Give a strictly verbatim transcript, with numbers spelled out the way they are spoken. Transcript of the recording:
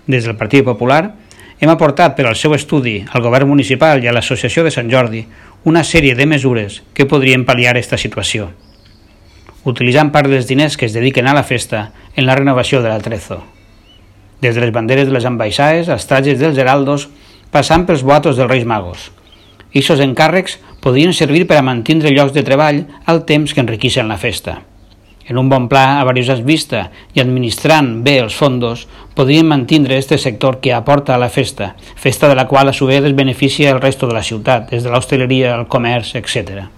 Des del Partit Popular hem aportat per al seu estudi al Govern Municipal i a l'Associació de Sant Jordi una sèrie de mesures que podrien pal·liar aquesta situació, utilitzant part dels diners que es dediquen a la festa en la renovació de l'Atrezo. Des de les banderes de les ambaixades als trajes dels heraldos, passant pels boatos dels Reis Magos. Ixos encàrrecs podrien servir per a mantenir llocs de treball al temps que enriqueixen la festa. En un bon pla a diverses vistes i administrant bé els fondos, podrien mantenir este sector que aporta a la festa, festa de la qual a su vez es beneficia el resto de la ciutat, des de l'hostaleria, el comerç, etcètera.